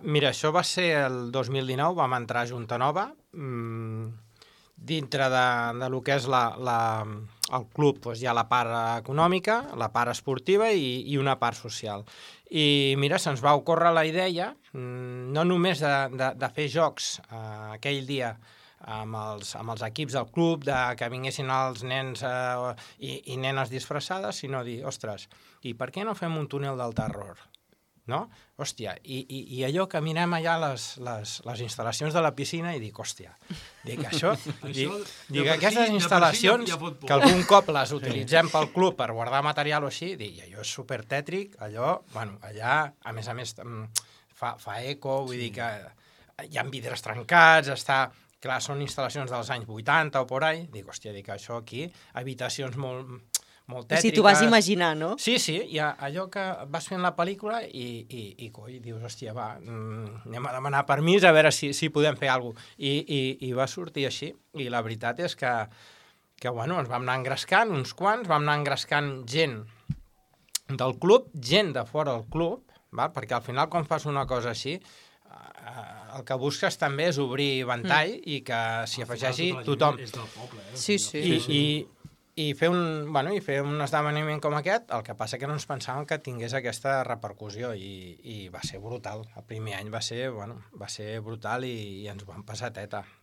Mira, això va ser el 2019, vam entrar a Junta Nova, dintre de lo que és el club, doncs hi ha la part econòmica, la part esportiva i una part social. I mira, se'ns va ocórrer la idea, no només de fer jocs aquell dia amb els equips del club, que vinguessin els nens i nenes disfressades, sinó dir, ostres, i per què no fem un túnel del terror? No? Hòstia, i allò que mirem allà les instal·lacions de la piscina i dic, hòstia, dic això, dic aquestes instal·lacions que algun cop les utilitzem pel club per guardar material o així, dic, allò és supertètric, allò, bueno, allà, a més, fa eco, vull dir que hi ha vidres trencats, clar, són instal·lacions dels anys 80 o por ahí, dic, hòstia, dic, això aquí, habitacions molt tètriques. Si t'ho vas imaginar, no? Sí, hi ha allò que vas fent la pel·lícula i dius, hòstia, va, anem a demanar permís a veure si podem fer alguna cosa. I va sortir així. I la veritat és que bueno, ens vam anar engrescant, uns quants, vam anar engrescant gent del club, gent de fora del club, perquè al final quan fas una cosa així, el que busques també és obrir ventall i que s'hi afegeixi tothom. És del poble, Sí. I fer un esdeveniment com aquest, el que passa que no ens pensàvem que tingués aquesta repercussió i va ser brutal. El primer any va ser brutal i ens vam passar teta.